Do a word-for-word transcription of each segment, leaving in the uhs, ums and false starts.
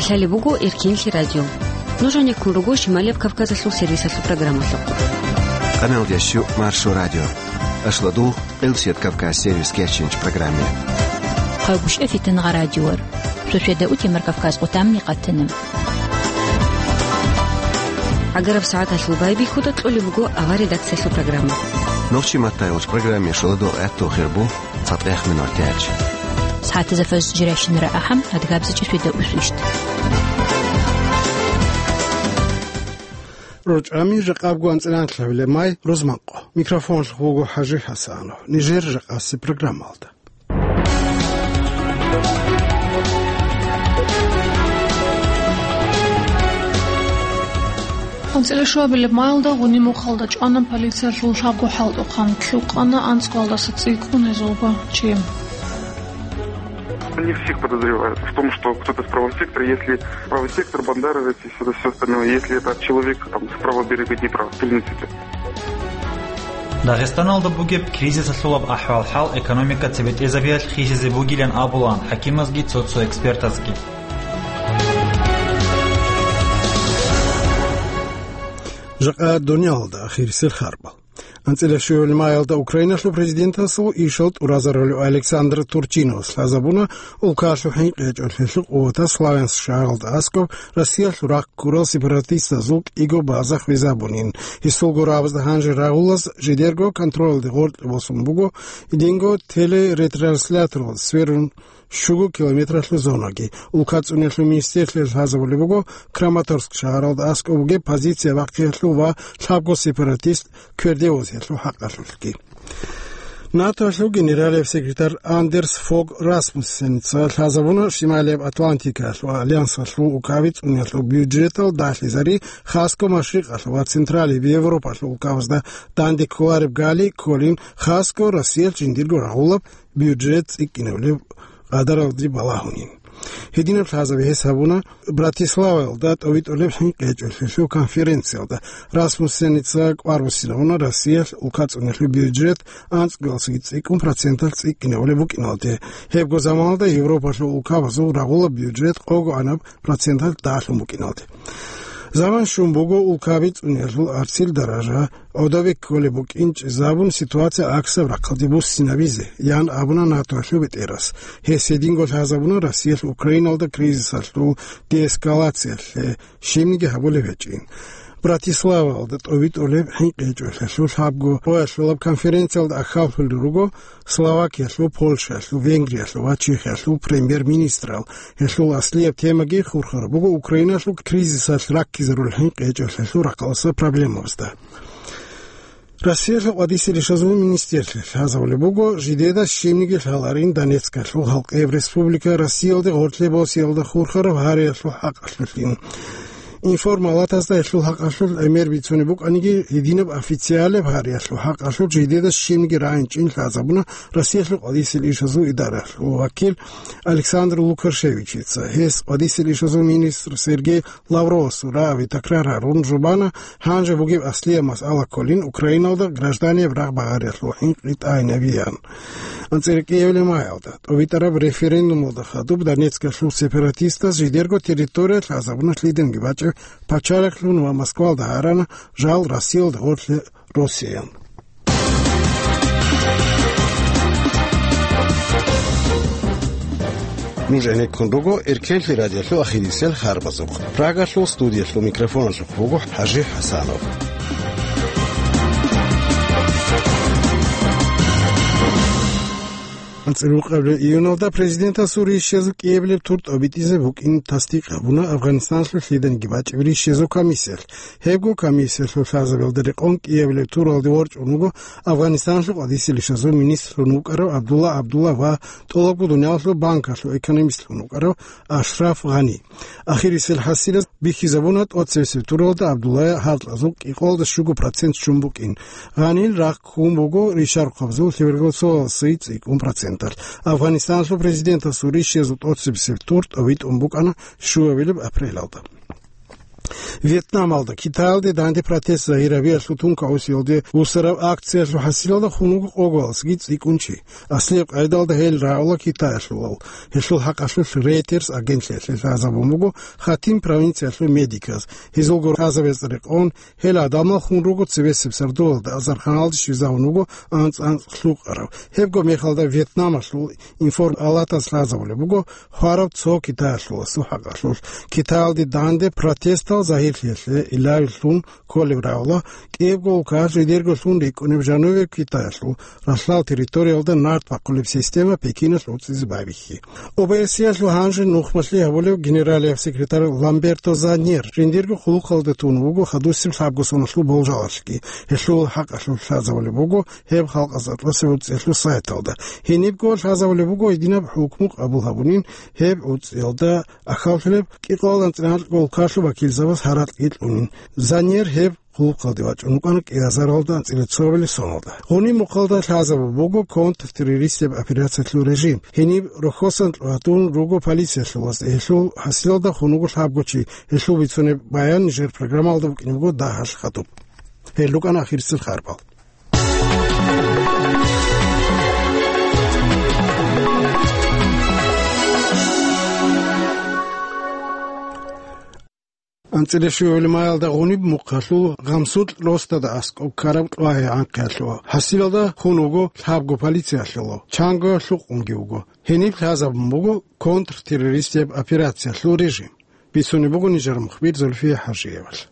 Лъалеб буго Эркенлъи радио. Нуж гьанеккун руго Шималияб Кавказалъул сервисалъул программалъухъ. Къаналдиясчу Маршо радио. Ашладул Къилсият Кавказ сервис кечинч программе. Хъагушев Фитангъа радиор. Суседа утемар Кавказ къутамни къатана. ГӀагараб сагӀаталъул байбихьуда кьолеб буго авар редакциялъул программа. Нохчи маттайгъуч программе шоладо гӀатту хирбу. ЦатӀехъ минуталъ. СагӀатазда фаз жирайщинара ахӀам, адгабзичӀи светда усвищ. РучӀами жакъабго анцӀила анлъабилеб май, рузманкъо. Микрофонлъухъ вуго ХӀажи ХӀасанов. Нижер жакъаси программалда. АнцӀила щуабилеб майалда Гъуни мухъалда чӀвана полициялъул лъабго хӀалтӀухъан, лъукъана анцӀкӀкӀалдаса цӀикӀкӀун гьезулго чи. Не всех подозревают в том, что кто-то с правого сектора, если правый сектор, бандеровец и всё, всё остальное, если это человек там с правого берега Днепра, в принципе. Дагъистаналда бугеб кризисалъулаб ахӀвал-хӀал, экономика цебетӀезабиялъ хисизе бугилан абулаан хӀакимазги цо-цо экспертазги. Жакъа дуниялалда ахирисел харбал. АнцӀила щуабилеб майалда Украиналъул президентасул ишал тӀуразарулев Александр Турчиновас лъазабуна улкалъул хӀинкъи гьечӀолъиялъул къуватас Славянск шагьаралда аскӀоб Россиялъул рахъ ккурал сепаратистазул кӀиго база хвезабунин. Гьесул гурабазда гьанже рагъулаз жидерго контролалде гъоркье босун буго, гьединго телеретранслятор сверун щуго километралъул зонаги. Улка цӀуниялъул министрлъиялъ лъазабулеб буго, Краматорск шагьаралда аскӀоб бугеб позиция бахъиялъул ва лъабго сепаратист кверде вазиялъул хӀакъалъулъги. НАТОялъул генералияб секретарь Андерс Фог Расмуссеница лъазабуна Шималияб Атлантикаялъул альянсалъул улкаби цӀуниялъул бюджетал дагьлъизари хасго машрикъалъул ва Централияб Европалъул улкабазда данде кколареб гали кколин, хасго Россиялъ жиндирго рагъулаб бюджет цӀикӀкӀинабулеб къадаралде балагьунин. Гьединаб лъазаби гьес гьабуна Братиславаялда тӀовитӀулеб хӀинкъи гьечӀолъиялъул конференциялда. Расмуссеница кӀвар буссинабуна Россиялъ улка цӀуниялъул бюджет анцӀкӀкӀалдасаги цӀикӀкӀун проценталъ цӀикӀкӀинабулеб букӀиналде. Гьебго заманалда Европалъул улкабазул рагъулаб бюджет къого-анаб проценталъ дагьлъун букӀиналде. Заман щун буго улкаби цӀуниялъул арцил даража гӀодобе кколеб букӀин чӀезабун, ситуация гӀаксаб рахъалде буссинабизе, ян абуна НАТОялъул бетӀерас. Гьес гьединго лъазабуна Россиялъ Украиналда кризисалъул деэскалациялъе щибниги гьабулеб гьечӀин. Братиславаялда тӀовитӀулеб хӀинкъи гьечӀолъиялъул лъабго къоялъулаб конференциялда ахьаллъулел руго Словакиялъул, Польшаялъул, Венгриялъул ва Чехиялъул премьер-министрал. Гьелъул аслияб темаги хурхараб буго Украиналъул кризисалъ раккизарулел хӀинкъи гьечӀолъиялъул рахъалъа проблемабазда. Россиялъул къватӀисел ишазул министрлъиялъ лъазабулеб буго, жидеда щибниги лъаларин Донецкалъул халкъияб республика Россиялде гъоркье босиялда хурхараб гьариялъул хӀакъалъулъин. Информалатазда гьелъул хӀакъалъулъ гӀемер бицунеб букӀаниги, гьединаб официалаб гьариялъул хӀакъалъулъ жидеда щибниги рагӀинчӀин лъазабуна Россиялъул къватӀисел ишазул идараялъул вакил Александр Лукашевичица. Гьес къватӀисел ишазул министр Сергей Лавровасул рагӀаби такрар гьарун жубана, гьанже бугеб аслияб масъала кколин Украиналда гражданияб рагъ багъариялъул хӀинкъи тӀагӀинабиян. АнцӀила кӀиабилеб майалда тӀобитӀараб референдумалда хадуб Донецкалъул сепаратистаз жидерго территория лъазабуна лъиданги бачӀеб пачалихълъун ва Москвалда гьарана жал Россиялда гъорлъе Россиян. Нуж гӀенеккун руго Эркенлъи радиолъул ахирисел харбазухъ. Прагалъул студиялъул микрофоналъухъ вуго ХӀажи ХӀасанов. АнцӀила рукъабилеб июналда президентасул рищезул кӀиабилеб тур тӀобитӀизе букӀин тасдикъ гьабуна Афганистаналъул лъиданиги бачӀеб рищезул комиссиялъ. Гьебго комиссиялъул лъазабиялда рекъон кӀиабилеб туралде ворчӀун вуго Афганистаналъул къватӀисел ишазул министрлъун вукӀарав Абдулла Абдулла ва ТӀолабго дуниялалъул банкалъул экономистлъун вукӀарав Ашраф Гъани. Ахирисел хӀасилаз бихьизабуна тӀоцебесеб туралда Абдуллая гьаркьазул кӀикъоялда щуго процент щун букӀин. Гъанил рахъ ккун буго ришарухъабазул лъеберго цо сай цӀикӀкӀун проценталъ. Афганистаналъул президентасул рищезул тӀоцебесеб тур тӀобитӀун букӀана щуабилеб апрелалда. Вьетнамалда Китаялде данде протест загьир гьабиялъул тункаусиялде вуссараб акциялъул хӀасилалда хун вуго къоголасги цӀикӀкӀун чи. Аслияб къайдалда гьел рагӀула китаялъулал. Гьелъул хӀакъалъулъ Reuters агентлъиялъе лъазабун буго Хатин провинциялъул медиказ. Гьезулго лъазабаз рекъон, гьел гӀадамал хун руго цебесеб сордоялда азарханалде щвезавун вуго анцӀ-анцӀ лъукъарав. Гьебго мехалда Вьетнамалъул информ-палатаз лъазабулеб буго хвараб цо китаялъуласул хӀакъалъулъ. Китаялде данде протестал загьирлъиялъе илавилълъун кколеб рагӀула кӀиябго улкаялъ жидерго лъун рикӀкӀунеб жанубеб Китаялъул ралъдал территориялда нарт бахъулеб система Пекиналъ уцӀизе байбихьи. ОБСЕялъул гьанже нухмалъи гьабулев генералияб секретарь Ламберто Заньер жиндирго хъулухъалда тун вуго хадусеб лъабго соналъул болжалалъги. Гьелъул хӀакъалъулъ лъазабулеб буго гьеб халкъалъул тӀасаб уцӀиялъул сайталда. Гьенибго лъазабулеб буго гьединаб хӀукму къабул гьабунин гьеб уцӀиялда ахӀаллъулеб кӀикъоялда анцӀила анкьго улкалъул вакилзабаз гьаракьги кьунин. Заньер гьеб хъулухъалде вачӀун вукӀана кӀиазаралда анцӀила цоабилеб соналда. Гъуниб мухъалда лъазабун буго контртеррористияб операциялъул режим. Гьениб рохьосан тӀадвуссун руго полициялъулаз, гьелъул хӀасилалда хун вуго лъабго чи, гьелъул бицунеб баян нижер программалда букӀине буго дагьалъ хадуб. Гьел рукӀана ахирисел харбал. АнцӀила щуабилеб маялда гъуниб мухъалъул гъамсукь росдада аскӀоб ккараб ТӀвагьи гӀанхъиялъул хӀасилалда хун вуго лъабго полициялъулав, чанго лъукъунги вуго. Гьениб лъазабун буго контртеррористияб операциялъул режим. Бицунеб буго нижер мухбир Зульфия ХӀажиевалъ.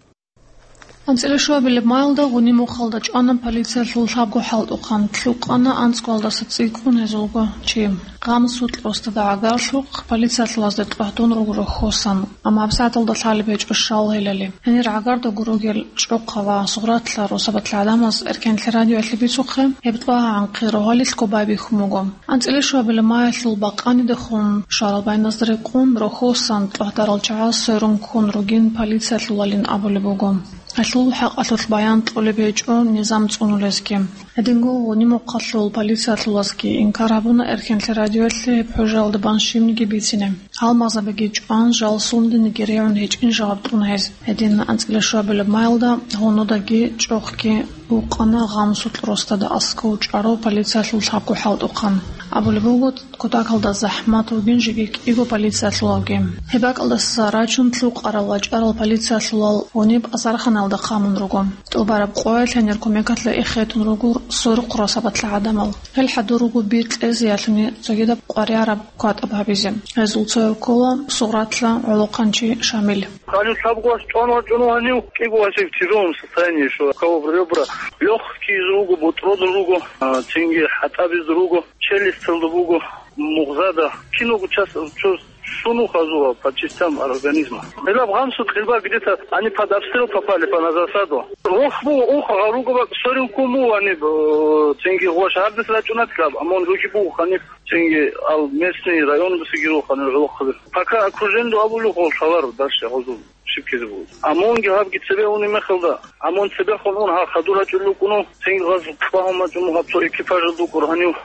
АнцӀила щуабилеб маялда гъуниб мухъалда чӀвана полициялъул лъабго хӀалтӀухъан, лъукъана анцӀгоялдаса цӀикӀкӀун гьезулго чи. Гъамсукь росдада гӀагарлъухъ полициялъулазда тӀадвуссун руго рохьосан, амма гьабсагӀаталда лъалеб гьечӀо щал гьелали. Гьенир гӀагардаго ругел чӀохъа ва сугъратлъа росабалъ гӀадамаз Эркенлъи радиоялъе бицухъе, гьеб ТӀвагьи гӀанхъи рогьалилъго байбихьун буго. АнцӀила щуабилеб маялъул бакъанидехун щварал байназда рекъон, рохьосан тӀагӀдарал чагӀаз сверун ккун ругин полициялъулалин абулеб буго. Гьелъул хӀакъалъулъ баян кьолеб гьечӀо низам цӀунулезги. Гьединго гъуниб мухъалъул полициялъулазги инкар гьабуна Эркенлъи радиоялъе гьеб хӀужаялда бан щибниги бицине. Гьалмагъзабиги чӀван, жал сундениги регӀун гьечӀин жаваб кьуна гьез. Гьедин анцӀила щуабилеб маялда гьунудаги чӀохги вукъана гъамсукь росдада аскӀов чӀварав полициялъул лъабго хӀалтӀухъан. Абулеб буго, кутакалда захӀмат вугин жеги кӀиго полициялъулавги. Гьеб бакӀалдаса рачун лъукъарал ва чӀарал полициялъулал гъуниб азарханалда хъамун руго. ТӀубараб къоялъ гьанир кумекалъе эхетун руго сверухъ росабалъ гӀадамал. Гьел хӀадур руго би кьезе ялъуни цогидаб къваригӀараб кватӀаб гьабизе. Гьезул цояв ккола сугъратлъа гӀолохъанчи Шамил. Гьанив лъабго вас чӀван вачӀун вуго гьанив, кӀиго васив тяжёлом состоянии, что кого в ребра, лёгкие руго, бутӀролда руго, а, цинги хӀатӀабазда руго, челюсталда буго, мугъзада, киного час, чо-, сунуха зула по частям организма. Гьелаб гъамсу къилба где-то они под обстрел попали, по, на засаду. Рох буго, уха гъаруго бак сорин куму они, э, цинги гъош гьардас рачӀунат лаб, амон руги буго ханиб. Цинги ал местный район бусиги рухъана гӀолохъаби. Пока окружение абулев гъол шалар дальше гъозул шибкизе буго. Амонги гьабги цебе уни мехалда. Амон цебехун ун гьа хадур рачӀул рукӀуну. Цинги гъаз кьвагьун мачӀун гьаб цо экипажал дукӀур гьанив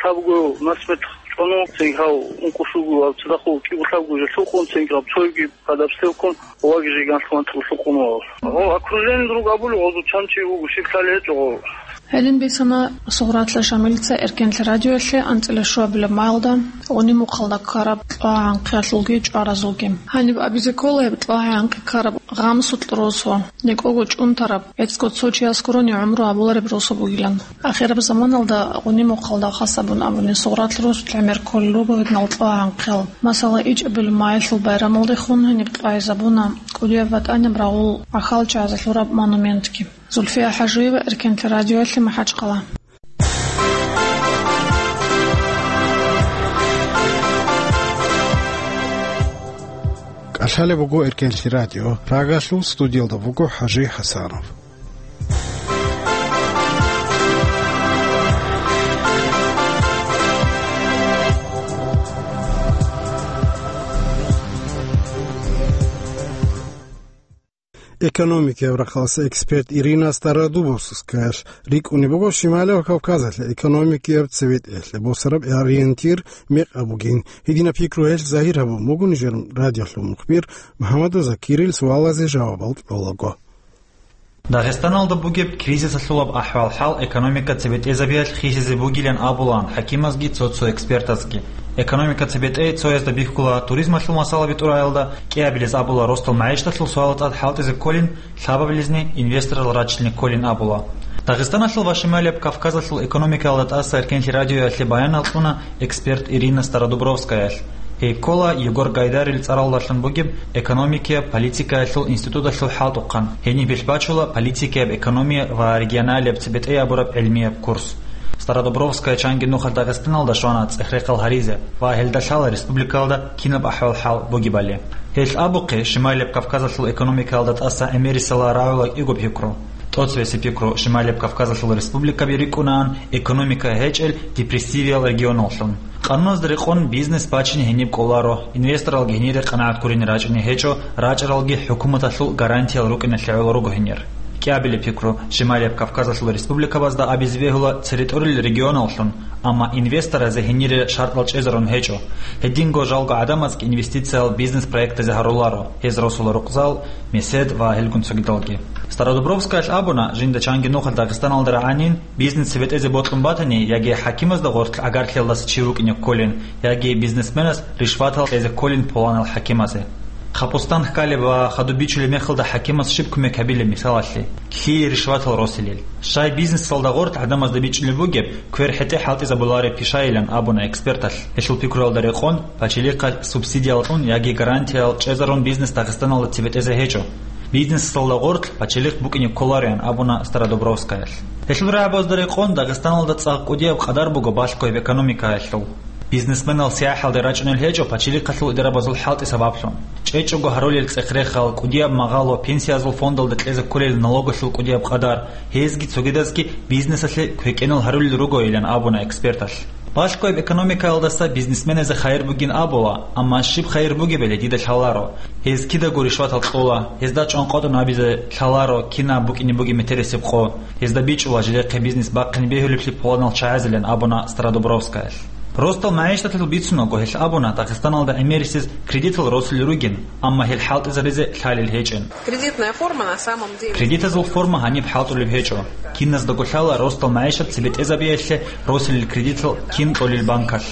лъабго насмет чӀвану. Цинги гьав ункъушугу гьаб цадахъул кӀиго лъабго жо лъукъун, цинги гьаб цойги падаб стевкун, ваги жиган лъугьан лъукъун вал. Гъо окружение друг абулев гъозул чанчи вуго, шиб лъале гьечӀо гъо. Гьедин бицана Сугъратла Шамилица Эркенлъи радиоялъе анцӀила щуабилеб маялда гъуниб мухъалда ккараб ТӀвагьи гӀанхъиялъулги чӀваразулги. Гьаниб абизе ккола гьеб ТӀвагьи гӀанхъи ккараб гъамсукь росу, некӀого чӀунтараб, гӀецӀго цо чияс гурони гӀумру гьабулареб росу бугилан. Ахираб заманалда гъуниб мухъалда, хас абун абуни, Сугъратла росулъ гӀемер кколел руго гьединал ТӀвагьи гӀанхъиял. Масала, ичӀабилеб маялъул байрамалдехун гьаниб тӀвайзабуна кӀудияб батӀаяб рагъул гӀахьалчагӀазе лъураб монументги. Зульфия ХӀажиева, Эркенлъи радиоялъе, МахӀачхъала. КӀалъалеб буго Эркенлъи радио, Прагалъул студиялда буго ХӀажи ХӀасанов. Экономикаяб рахъалъа эксперт Ирина Стародубовскаялъ рикӀкӀунеб буго Шималияб Кавказалъе экономикаяб цебетӀеялъе босараб ориентир мекъаб бугин. Гьединаб пикру гьелъ загьир гьабун буго нижер радиолъул мухбир МухӀаммад Закирил суалазе жавабал кьолаго. Дагъистаналда бугеб кризисалъулаб ахӀвал-хӀал экономика цебетӀезабиялъ хисизе бугилан абулаан хӀакимазги цо-цо экспертазги. Экономика цебетӀей цоязда бихьула туризмалъул масала битӀураялда, кӀиабилез абула ростал магӀишталъул суалда тӀад хӀалтӀизе кколин, лъабабилезни инвесторал рачилни кколин абула. Дагъистаналъул ва Шималияб Кавказалъул экономикаялда тӀаса Эркенлъи радиоялъе баянал кьуна эксперт Ирина Стародубровскаялъ. Гьей ккола Егор Гайдарил цӀаралдалъун бугеб экономикияб политикаялъул институталъул хӀалтӀухъан, гьениб гьелъ бачула политикияб экономия ва регионалияб цебетӀей абураб гӀилмияб курс. Стародубровская чанги нухалъ Дагъистаналда щвана цӀех-рехъал гьаризе ва гьелда лъала республикаялда кинаб ахӀвал-хӀал бугебали. Гьелъ абухъе, Шималияб Кавказалъул экономикаялда тӀаса гӀемерисела рагӀула кӀиго пикру. ТӀоцебесеб пикру Шималияб Кавказалъул республикаби рикӀкӀунаан экономика гьечӀел депрессивиял регионаллъун. Къануназда рекъон бизнес бачине гьениб кӀоларо, инвесторалги гьенире къанагӀат гурине рачӀине гьечӀо, рачӀаралги хӀукуматалъул гарантиял рукӀиналъе гӀоло руго гьенир. КӀиабилеб пикру Шималияб Кавказалъул республикабазда абизе бегьула цере тӀорил регионаллъун, амма инвесторазе гьенире шартӀал чӀезарун гьечӀо. Гьединго жалго гӀадамазги инвестициял бизнес-проектазе гьаруларо, гьез росула рукъзал, месед ва гьелгун цогидалги. Стародубровскаялъ абуна, жинда чанги нухалъ Дагъистаналда рагӀанин, бизнес цебетӀезе бокьун батани, яги хӀакимазда гъорлъ гӀагарлъиялдаса чи вукӀине кколин, яги бизнесменас ришватал кьезе кколин пуланал хӀакимазе. Хапустан хкалеб ва хадуб бичулеб мехалда хӀакимас щиб кумек гьабилеб мисалалъе? Лъие ришватал росилел? Щай бизнесалда гъорлъ гӀадамазда бичӀчӀулеб бугеб, квер хӀетӀе хӀалтӀизабулареб пишайилан абуна эксперталъ. Гьелъул пикруялда рекъон, пачелихъалъ субсидиял кьун яги гарантиял чӀезарун бизнес Дагъистаналда цебетӀезе гьечӀо. Бизнесалда гъорлъ пачелихъ букӀине кколароян абуна Стародубровскаялъ. Гьелъул рагӀабазда рекъон, Дагъистаналда цӀакъ кӀудияб къадар буго балъгояб экономикаялъул. Бизнесменал сияхӀалде рачӀунел гьечӀо пачелихъалъул идарабазул хӀалтӀи сабаблъун. ЧӀечӀого гьарулел цӀех-рехал, кӀудияб магъал ва пенсиязул фондалда кьезе кколел налогалъул кӀудияб къадар, гьезги цогидазги бизнесалъе квекӀенал гьарулел ругойилан абуна эксперталъ. Балъгояб экономикаялдаса бизнесменазе хайир бугин абула, амма щиб хайир бугебали дида лъаларо. Гьез кидаго ришватал кьола, гьезда чӀванкъватӀун абизе лъаларо кинаб букӀине бугеб метерисеб къо. Гьезда бичӀчӀула жидехъе бизнес бахъине бегьулеблъи пуланал чагӀазилан абуна Стародубровскаялъ. Ростал магӀишаталъул бицунаго гьелъ абуна Дагъистаналда гӀемерисез кредитал росулел ругин, амма гьел хӀалтӀизаризе лъалел гьечӀин. Кредитная форма на самом деле. Кредитазул форма гьаниб хӀалтӀулеб гьечӀо. Киназдаго лъала ростал магӀишат цебетӀезабиялъе росулел кредитал кин кьолел банкалъ.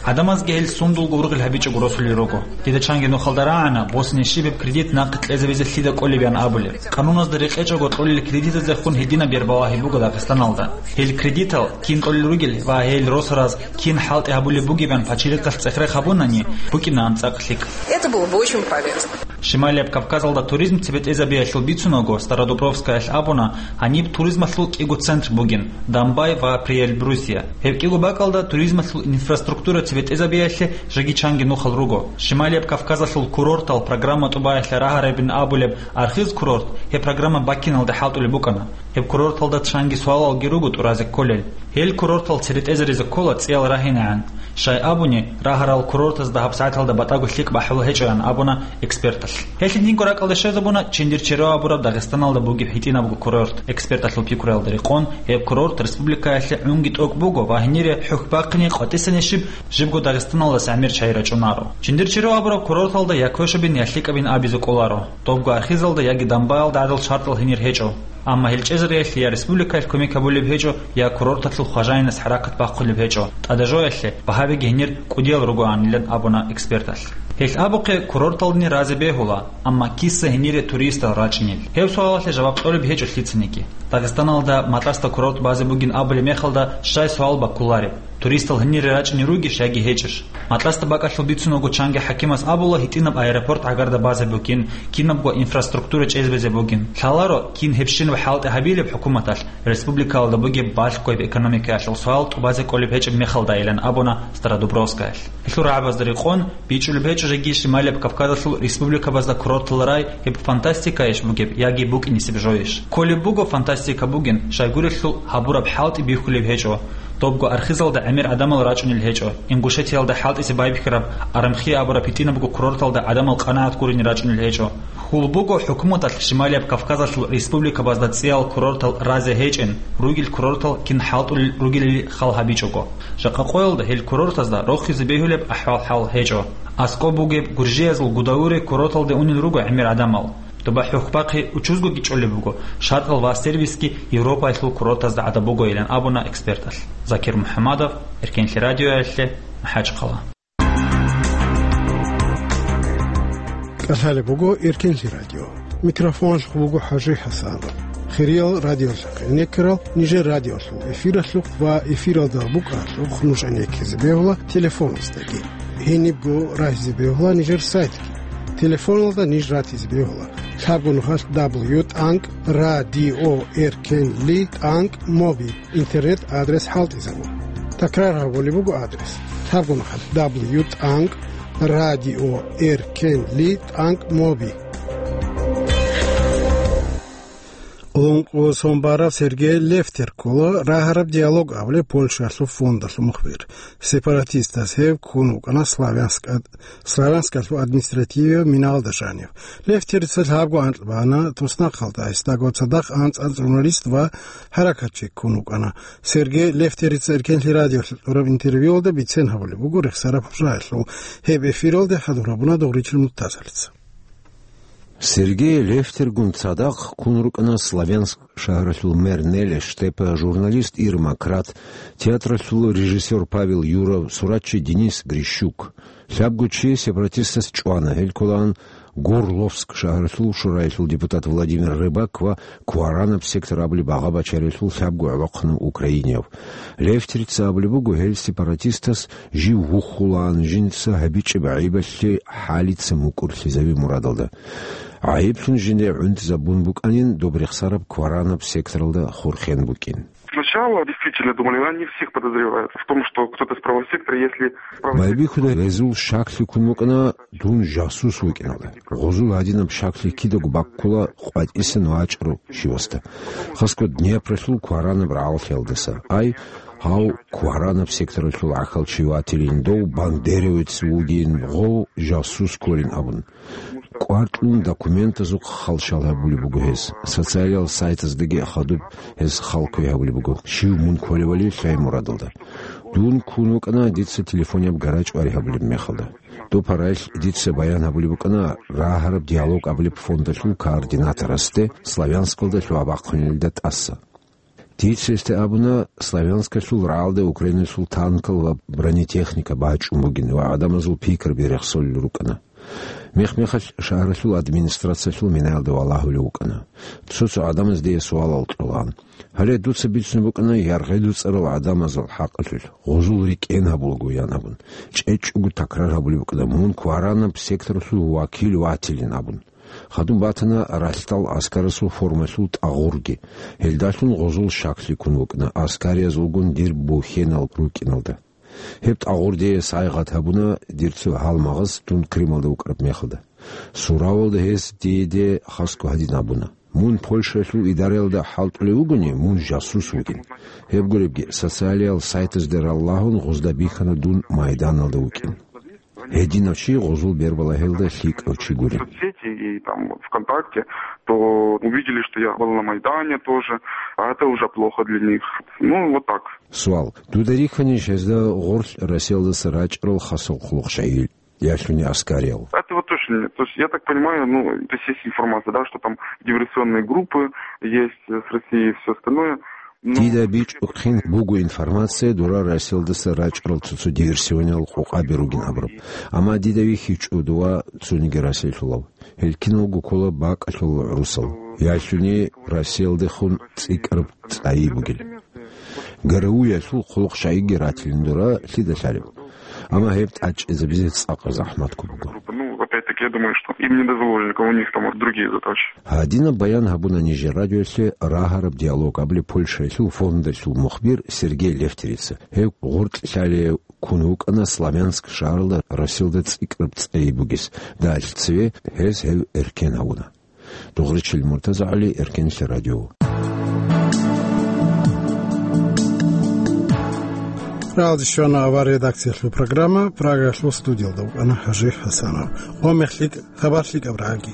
ГӀадамазги гьел сундулго ургъел гьабичӀого росулел руго. Дида чанги нухалда рагӀана, босине щибаб кредит нахъе кьезабизе лъида кӀолеб ян абулеб. Къануназда рекъечӀого кьолел кредитазехун гьединаб бербалагьи буго Дагъистаналда. Гьел кредитал кин кьолел ругел ва гьел росараз кин хӀалтӀи гьабулеб бугебан пачелихъалъ цӀех-рех гьабунани, букӀинаан цӀакъ лъикӀ. Это было бы очень полезно. Шималияб Кавказалда туризм цебетӀезабиялъул бицунаго, Стародубровскаялъ абуна, гьаниб туризмалъул кӀиго центр бугин, Дамбай ва Приэльбрусья. Гьеб кӀиго бакӀалда туризмалъул инфраструктура цебетӀезабиялъе жеги чанги нухал руго. Шималияб Кавказалъул курортал программа тӀубаялъе рагьарабин абулеб Архыз курорт гьеб программа баккиналде хӀалтӀулеб букӀана. Гьеб курорталда чанги суалалги руго тӀуразе кколел. Гьел курортал церетӀезаризе ккола цӀиял рагьинегӀан. Щай абуни, рагьарал курортазда гьабсагӀаталда батӀаго лъикӀ бахӀула гьечӀоян абуна эксперталъ. Гьелъ гьединго ракӀалде щвезабуна Чиндирчеро абураб Дагъистаналда бугеб гьитӀинабго курорт. Эксперталъул пикруялда рекъон, гьеб курорт республикаялъе гӀунги тӀокӀ буго ва гьенире хӀухь бахъине къватӀисанищиб жибго Дагъистаналдаса гӀемер чагӀи рачӀунаро. Чиндирчеро абураб курорталда я квешабин, я лъикӀабин абизе кӀоларо. Добго Архизалда яги Дамбаялда гӀадал шартӀал гьенир гьечӀо. Амма гьел чӀезариялъе я республикаялъ кумек гьабулеб гьечӀо, я курорталъул хважаинас хӀаракат бахъулеб гьечӀо. ТӀадежоялъе багьабиги гьенир кӀудиял ругоанилан абуна эксперталъ. Гьелъ абухъе, курорталдани разе бегьула, амма киса гьенире туристал рачӀинел? Гьеб суалалъе жаваб кьолеб гьечӀо лъицаниги. Дагъистаналда Матасда курорт базе бугин абулеб мехалда щай суал баккулареб? Туристал гьенире рачӀине ругищ яги гьечӀищ? Матасда бакӀалъул бицунаго чанги хӀакимас абула гьитӀинаб аэропорт гӀагарда базе бугин, кинабго инфраструктура чӀезабизе бугин. Лъаларо, кин гьебщинаб хӀалтӀи гьабилеб хӀукуматалъ республикалда бугеб балъгояб экономикаялъул суал тӀубазе кӀолеб гьечӀеб мехалдайилан абуна Стародубровскаялъ. Гьелъул рагӀабазда рекъон, бичӀчӀулеб гьечӀо жеги Шималияб Кавказалъул республикабазда курортал рай гьеб фантастикайищ бугеб яги букӀинисеб жойищ? Кколеб буго фантастика бугин, щайгурелъул гьабураб хӀалтӀи бихьулеб гьечӀо. Добго Архизалда гӀемер гӀадамал рачӀунел гьечӀо, Ингушетиялда хӀалтӀизе байбихьараб Арамхи абураб гьитӀинабго курорталда гӀадамал къанагӀат гурине рачӀунел гьечӀо. Хьул буго хӀукуматалъ Шималияб Кавказалъул республикабазда цӀиял курортал разе гьечӀин, ругел курортал кин хӀалтӀулел ругелали хал гьабичӀого. Жакъа къоялда гьел курортазда рохизе бегьулеб ахӀвал-хӀал гьечӀо. АскӀоб бугеб Гуржиязул Гудаури курорталде унел руго гӀемер гӀадамал. Доба хӀухьбахъи учузгоги чӀолеб буго, шартӀал ва сервисги Европаялъул курортазда гӀадаб бугойилан абуна эксперталъ. Закир МухӀамадов, Эркенлъи радиоялъе, МахӀачхъала. КӀалъалеб буго Эркенлъи радио. Микрофоналъухъ буго ХӀажи ХӀасанов. Хириял радиолъухъ гӀенеккарал нижер радиолъул эфиралъухъ ва эфиралда букӀаралъухъ нуж гӀенеккизе бегьула телефоназдаги. Гьенибго рагьизе бегьула нижер сайтги. Телефоналда ниж ратизе бегьула. Лъабго нухалъ дабл ю тӀанкӀ радио эркенли тӀанкӀ моби. Интернет-адрес хӀалтӀизабун. Такрар гьабулеб буго адрес. Лъабго нухалъ дабл ю тӀанкӀ радио эркенли тӀанкӀ моби. Лункъо сон бараб Сергей Лефтер ккола рагьараб «Диалог» абулеб Польшаялъул фондалъул мухбир. Сепаратистас гьев ккун вукӀана Славянск ад-, Славянскалъул административияб миналда жанив. Лефтерица лъабго анкь бана, туснахъалда гьес дагьав цадахъ анцӀ-анцӀ журналист ва хӀаракатчи ккун вукӀана. Сергей Лефтерица Эркенлъи радиолъе кьураб интервьюялда бицен гьабулеб буго рехсараб хӀужаялъул. Гьеб эфиралде хӀадур гьабуна Дугъричил Муртазалица. Сергей Лефтергун цадахъ ккун рукӀана Славянск шагьаралъул мэр Неле Штепа, журналист Ирма Крат, театралъул режиссер Павел Юров, суратчи Денис Грищук. Лъабго чи сепаратистас чӀвана, гьел кколаан Горловск шагьаралъул шураялъул депутат Владимир Рыбак ва Кваранаб сектор абулеб агъа-бачаралъул лъабго гӀолохъанав украинияв. Лефтерица абулеб буго, гьел сепаратистас жив вухулаан, жинца гьабичӀеб гӀайибалъе хӀалица мукӀурлъизаби мурадалда. ГӀайиблъун жинда гӀунтӀизабун букӀанин, доб рехсараб Кваранаб секторалда хурхен букӀин. Сначала действительно думали, они всех подозревают в том, что кто-то с правого сектора, если с правого сектора. Байбихьуда гьезул щаклъи ккун букӀана дун жасус вукӀиналда. Гъузул гьадинаб щаклъи кидаго баккула къватӀисан вачӀарав щивасда. Хасго Днепралъул Кваранаб рагӀаллъиялдаса. Ай, гьав Кваранаб секторалъул гӀахьалчи ватилин, дов бандеровец вугин, гъов жасус кколин абун. КӀвар кьун документазухъ халщал гьабулеб буго гьес. Социалиял сайтаздаги хадуб гьес хал кквей гьабулеб буго, щив мун кколевали лъай мурадалда. Дун ккун вукӀана дица телефонияб гарачӀ вари гьабулеб мехалда. Доб гьарайлъ дица баян гьабулеб букӀана рагьараб «Диалог» абулеб фондалъул координаторасде Славянскалда лъугьа-бахъунелда тӀаса. Дица гьесда абуна, Славянскалъул рагӀалда Украиналъул танкал ва бронетехника бачӀун бугин ва гӀадамазул пикруби рехсолел рукӀана. Мех-мехалъ шагьаралъул администрациялъул минаялда валагьулев вукӀана. Цо-цо гӀадамаз дие суалал кьолаан. Гьале дуца бицунеб букӀана яргъи-дуцӀарал гӀадамазул хӀакъалъулъ, гъузул рикӀкӀен гьабулаго, ян абун. ЧӀечӀого такрар гьабулеб букӀана, мун Кваранаб секторалъул вакил ватилин абун. Хадуб батана ралъдал аскарасул формалъул тӀагъурги. Гьелдалъун гъузул щаклъи ккун вукӀана аскариязулгун дир бухьенал рукӀиналда. Гьеб тӀагъур дие сайгъат гьабуна дир цо гьалмагъас дун Крымалда вукӀараб мехалда. Суравалда гьес диеде хасго гьадин абуна: «Мун Польшаялъул идараялда хӀалтӀулев вугони, мун жасус вугин». Гьеб гуребги, социалиял сайтазде раллагьун гъузда бихьана дун Майданалда вукӀин. Гьединав чи гъузул бербалагьелда лъикӀав чи гурин. Соцсети и там ВКонтакте, то увидели, что я был на Майдане тоже, а это уже плохо для них. Ну, вот так. Суал. Дуда рихьанищ гьезда гъорлъ Россиялдаса рачӀарал хасал хъулухъ щайил, ялъуни аскариял? Этого точно нет. То есть, я так понимаю, ну, то есть есть информация, да, что там диверсионные группы есть, э, с России и всё остальное. Дида бичӀухъин буго информация дора Россиялдаса рачӀарал цо-цо диверсиониял къокъаби ругин абураб. Амма дида вихьичӀо дова цониги Россиялъулав. Гьел киналго ккола бакӀалъул гӀурусал. Ялъуни Россиялдехун цӀикӀкӀараб цӀайи бугел. Гаравуялъул хъулухъ щайиги ратилин дора лъида лъалеб. Амма гьеб тӀадчӀезабизе цӀакъ захӀматго буго. Ну, опять-таки, я думаю, что им не дозволено, у них там вот другие задачи. Гьадинаб баян гьабуна нижер радиоялъе рагьараб «Диалог» абулеб Польшаялъул фондалъул мухбир Сергей Лефтерица. Гьев гъоркьлъалев ккун вукӀана Славянск шагьаралда Россиялда цӀикӀкӀараб цӀайи бугес. Дагьалъ цеве гьез гьев эркен гьавуна. Дугъричил МуртазагӀали, Эркенлъи радио. Рагьалде щвана авар редакциялъул программа, Прагаялъул студиялда вукӀана ХӀажи ХӀасанов. Гъомехлъи хабар лъикӀаб рагӀаги.